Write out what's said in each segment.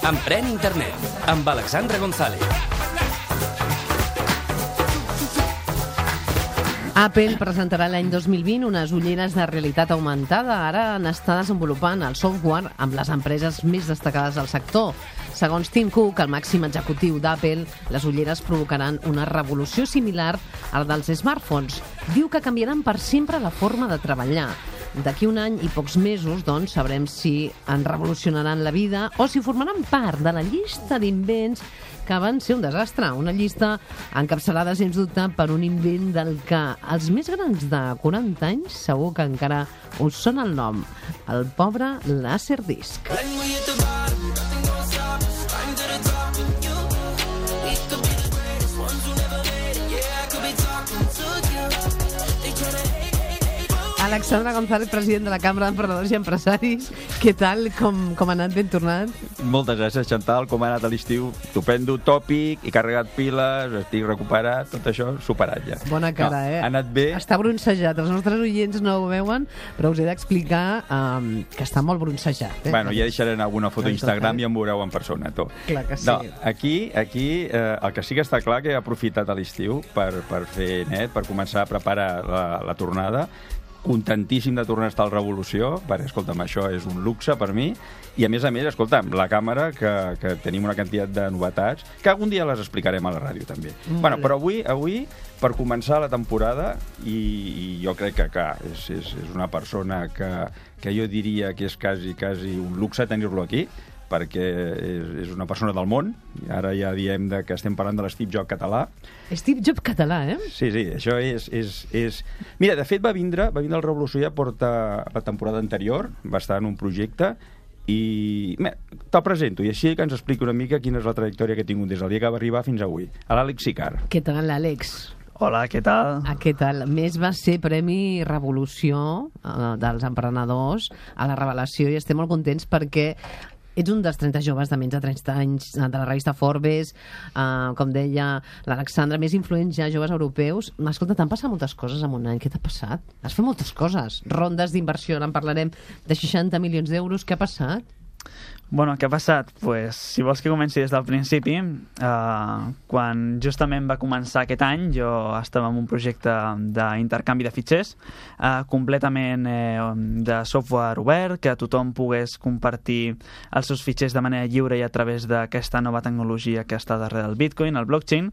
Emprèn Internet, amb Alexandra González. Apple presentarà l'any 2020 unes ulleres de realitat augmentada. Ara n'està desenvolupant el software amb les empreses més destacades del sector. Segons Tim Cook, el màxim executiu d'Apple, les ulleres provocaran una revolució similar a la dels smartphones. Diu que canviaran per sempre la forma de treballar. D'aquí un any i pocs mesos, doncs, sabrem si en revolucionaran la vida o si formaran part de la llista d'invents que van ser un desastre. Una llista encapçalada, sens dubte, per un invent del que els més grans de 40 anys segur que encara us sona el nom. El pobre Laserdisc. Alexandra González, president de la Cambra d'Emprenedors i Empresaris. Què tal? Com ha anat? Ben tornat? Moltes gràcies, Chantal. Com ha anat a l'estiu? Estupendo, tòpic, he carregat piles, estic recuperat, tot això superat ja. Bona cara, no, ha anat bé. Està bronzejat. Els nostres oients no ho veuen, però us he d'explicar que està molt bronzejat. Bueno, ja deixaré alguna foto a Instagram i em veureu en persona, tu. Clar que sí. No, aquí el que sí que està clar que he aprofitat a l'estiu per fer net, per començar a preparar la tornada. Contentíssim de tornar a estar al Revolució, perquè, escolta'm, això és un luxe per mi, i a més, escolta'm, la càmera, que tenim una quantitat de novetats, que algun dia les explicarem a la ràdio, també. Bueno, però avui, per començar la temporada, i jo crec que és una persona que jo diria que és quasi un luxe tenir-lo aquí, perquè és una persona del món. Ara ja diem que estem parlant de l'Steve Jobs català. Steve Jobs català, eh? Sí, això és... Mira, de fet, va vindre al Revolució, ja porta la temporada anterior, va estar en un projecte, i te'l presento, i així que ens expliqui una mica quina és la trajectòria que ha tingut des del dia que va arribar fins avui. A l'Àlex Sicard. Què tal, Àlex? Hola, què tal? Què tal? Més va ser Premi Revolució dels emprenedors a la Revelació, i estem molt contents perquè ets un dels 30 joves de menys de 30 anys de la revista Forbes, com deia l'Alexandra, més influents ja joves europeus. Escolta, t'han passat moltes coses en un any. Què t'ha passat? Has fet moltes coses. Rondes d'inversió, en parlarem, de 60 milions d'euros. Què ha passat? Bueno, què ha passat? Pues, si vols que comenci des del principi, quan justament va començar aquest any, jo estava en un projecte d'intercanvi de fitxers, completament de software obert, que tothom pogués compartir els seus fitxers de manera lliure i a través d'aquesta nova tecnologia que està darrere del Bitcoin, el blockchain.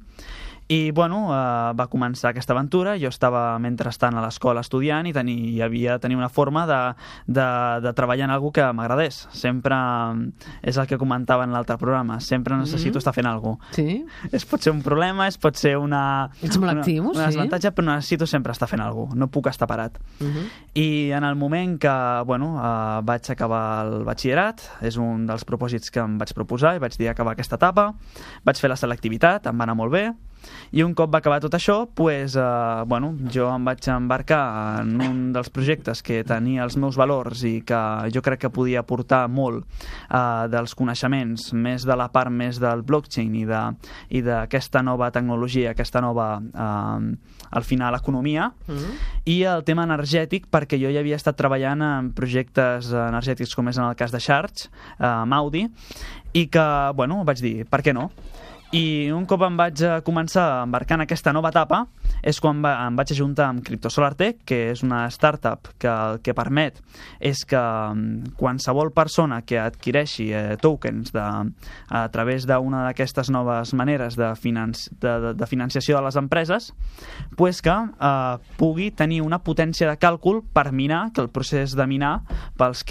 I, bueno, va començar aquesta aventura. Jo estava, mentrestant, a l'escola estudiant i havia de tenir una forma de treballar en alguna que m'agradés. Sempre, és el que comentava en l'altre programa, sempre necessito estar fent alguna cosa. Sí? Pot ser un problema, pot ser una... Ets molt actiu, una desavantatge, però necessito sempre estar fent alguna cosa. No puc estar parat. I en el moment que, vaig acabar el batxillerat, és un dels propòsits que em vaig proposar, i vaig dir acabar aquesta etapa, vaig fer la selectivitat, em va anar molt bé, i un cop va acabar tot això, jo em vaig embarcar en un dels projectes que tenia els meus valors i que jo crec que podia aportar molt dels coneixements, més de la part més del blockchain i d'aquesta nova tecnologia, aquesta nova, al final, economia, i el tema energètic, perquè jo ja havia estat treballant en projectes energètics com és en el cas de Charge, amb Audi, i que, vaig dir, per què no? I un cop em vaig començar a embarcar en aquesta nova etapa és quan em vaig ajuntar amb CryptoSolarTech, que és una startup que el que permet és que qualsevol persona que adquireixi tokens a través d'una d'aquestes noves maneres de financiació de les empreses, que pugui tenir una potència de càlcul per minar, que el procés de minar, pels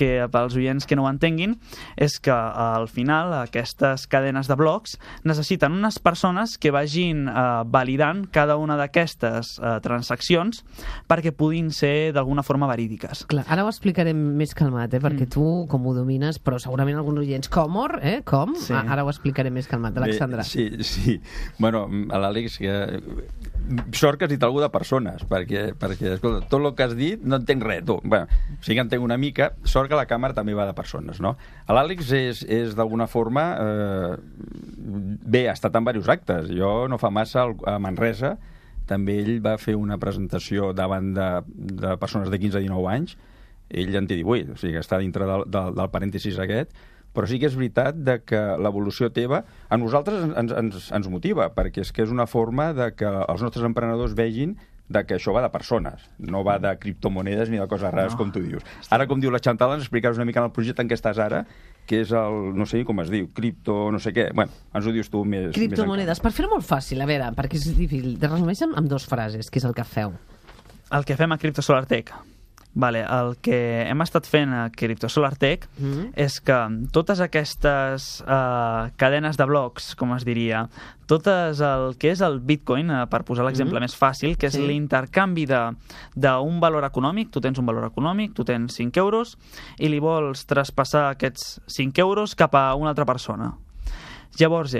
oients que no ho entenguin, és que al final aquestes cadenes de blocs necessiten unes persones que vagin validant cada una d'aquestes transaccions perquè puguin ser d'alguna forma verídiques. Clar, ara ho explicarem més calmat, perquè tu com ho domines, però segurament alguns oients, com? Sí. Ara ho explicarem més calmat, Alexandra. Sí. Bueno, a l'Àlex, sort que has dit alguna de persones, perquè escolta, tot el que has dit no entenc res, tu. Bueno, sí que entenc una mica, sort que la càmera també va de persones, no? L'Àlex és d'alguna forma bé, ha estat en diversos actes. Jo no fa massa a Manresa també ell va fer una presentació davant de persones de 15 a 19 anys ell en té 18, o sigui que està dintre del parèntesis aquest, però sí que és veritat que l'evolució teva a nosaltres ens motiva, perquè és que és una forma de que els nostres emprenedors vegin que això va de persones, no va de criptomonedes ni de coses rares, com tu dius. Ara, com diu la Chantal, ens explicaràs una mica en el projecte en què estàs ara, que és el, no sé com es diu, cripto, no sé què. Bueno, ens ho dius tu més... Criptomonedes. Per fer-ho molt fàcil, a veure, perquè és difícil. Te resumeix amb 2 frases, que és el que feu. El que fem a Crypto Solar Tech. Vale, el que hem estat fent a Crypto Solar Tech és que totes aquestes cadenes de blocs, com es diria, totes el que és el Bitcoin, per posar l'exemple més fàcil, que és l'intercanvi d'un valor econòmic, tu tens un valor econòmic, tu tens 5 euros, i li vols traspassar aquests 5 euros cap a una altra persona. Llavors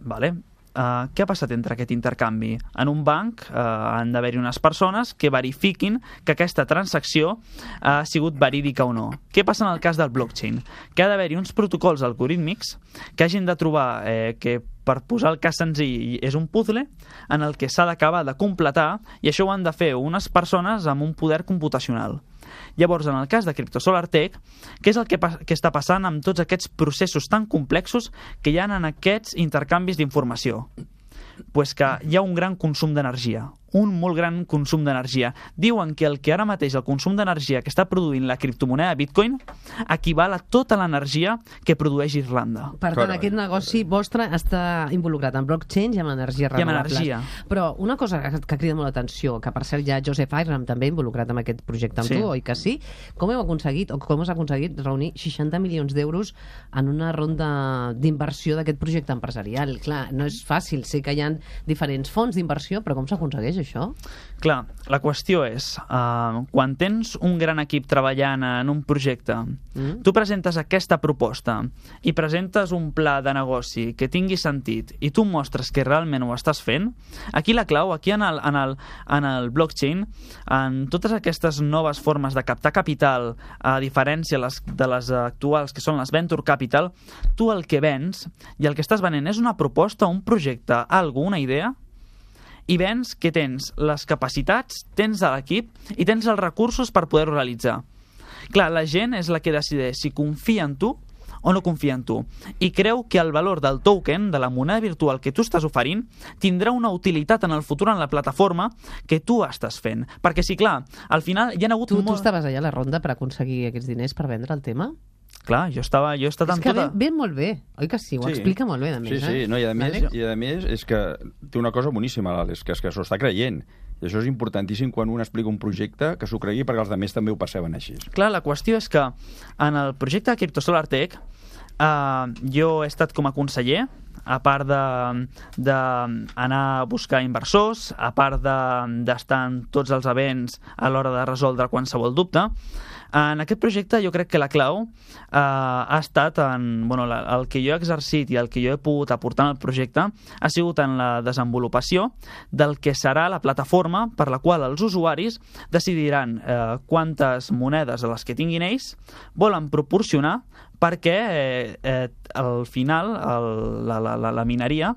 vale, què ha passat entre aquest intercanvi? En un banc han d'haver-hi unes persones que verifiquin que aquesta transacció ha sigut verídica o no. Què passa en el cas del blockchain? Que ha d'haver-hi uns protocols algorítmics que hagin de trobar que, per posar el cas senzill, és un puzzle en el que s'ha d'acabar de completar, i això ho han de fer unes persones amb un poder computacional. Llavors, en el cas de Crypto Solar Tech, què és el que està passant amb tots aquests processos tan complexos que hi ha en aquests intercanvis d'informació? Pues que hi ha un gran consum d'energia, un molt gran consum d'energia. Diuen que el que ara mateix el consum d'energia que està produint la criptomoneda Bitcoin equival a tota l'energia que produeix Irlanda. Per tant, aquest negoci vostre està involucrat en blockchain i en energia renovables. I en energia. Però una cosa que crida molt l'atenció, que per cert ja Joseph Iram també involucrat en aquest projecte amb tu, oi que sí? Com heu aconseguit, o com has aconseguit reunir 60 milions d'euros en una ronda d'inversió d'aquest projecte empresarial? Clar, no és fàcil, sé que hi ha diferents fons d'inversió, però com s'aconsegueix això? Clar, la qüestió és, quan tens un gran equip treballant en un projecte, tu presentes aquesta proposta i presentes un pla de negoci que tingui sentit i tu mostres que realment ho estàs fent, aquí la clau, aquí en el blockchain, en totes aquestes noves formes de captar capital, a diferència de les actuals, que són les venture capital, tu el que vens i el que estàs venent és una proposta, un projecte, una idea, i vens que tens les capacitats, tens l'equip i tens els recursos per poder-ho realitzar. Clar, la gent és la que decideix si confia en tu o no confia en tu, i creu que el valor del token, de la moneda virtual que tu estàs oferint, tindrà una utilitat en el futur en la plataforma que tu estàs fent. Perquè sí, clar, al final hi ha hagut... Tu estaves allà a la ronda per aconseguir aquests diners per vendre el tema? Clar, jo he estat en tota... És que ve molt bé, oi que sí? Ho explica molt bé, a més. Sí, no, i a més és que té una cosa boníssima, és que s'ho està creient. I això és importantíssim quan un explica un projecte, que s'ho cregui, perquè els altres també ho perceben així. Clar, la qüestió és que en el projecte de Crypto Solar Tech jo he estat com a conseller, a part d'anar a buscar inversors, a part d'estar en tots els events a l'hora de resoldre qualsevol dubte. En aquest projecte jo crec que la clau ha estat el que jo he exercit i el que jo he pogut aportar en el projecte ha sigut en la desenvolupació del que serà la plataforma per la qual els usuaris decidiran quantes monedes de les que tinguin ells volen proporcionar perquè al final la mineria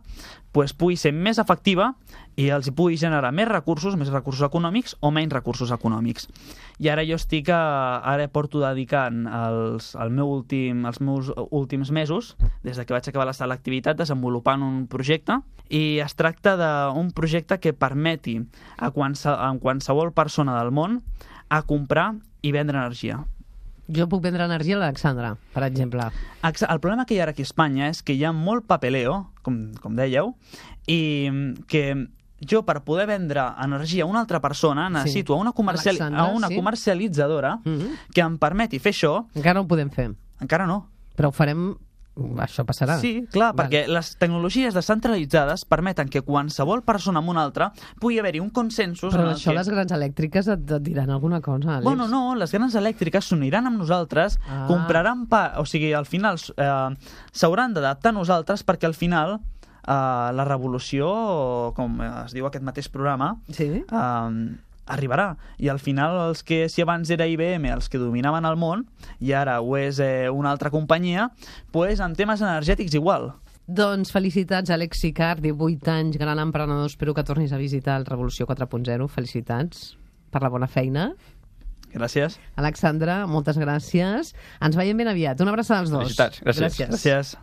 pugui ser més efectiva i els pugui generar més recursos econòmics o menys recursos econòmics. I ara jo ara porto dedicant els meus últims mesos, des que vaig acabar l'activitat, desenvolupant un projecte, i es tracta d'un projecte que permeti a qualsevol persona del món a comprar i vendre energia. Jo puc vendre energia a l'Alexandra, per exemple. El problema que hi ha ara aquí a Espanya és que hi ha molt papeleo, com dèieu, i que jo, per poder vendre energia a una altra persona, necessito a una comercialitzadora que em permeti fer això. Encara no ho podem fer. Encara no. Però ho farem... Això passarà. Sí, clar, perquè les tecnologies descentralitzades permeten que qualsevol persona amb una altra pugui haver-hi un consensus... Però això les grans elèctriques et diran alguna cosa, Àlex? Bueno, no, les grans elèctriques s'uniran amb nosaltres, compraran o sigui, al final s'hauran d'adaptar a nosaltres perquè al final la revolució, com es diu aquest mateix programa, arribarà. I al final, si abans era IBM els que dominaven el món, i ara ho és una altra companyia, doncs en temes energètics igual. Doncs felicitats, Àlex Sicard, 18 anys, gran emprenedor. Espero que tornis a visitar el Revolució 4.0. Felicitats per la bona feina. Gràcies. Alexandre, moltes gràcies. Ens veiem ben aviat. Una abraçada als dos. Felicitats. Gràcies. Gràcies. Gràcies.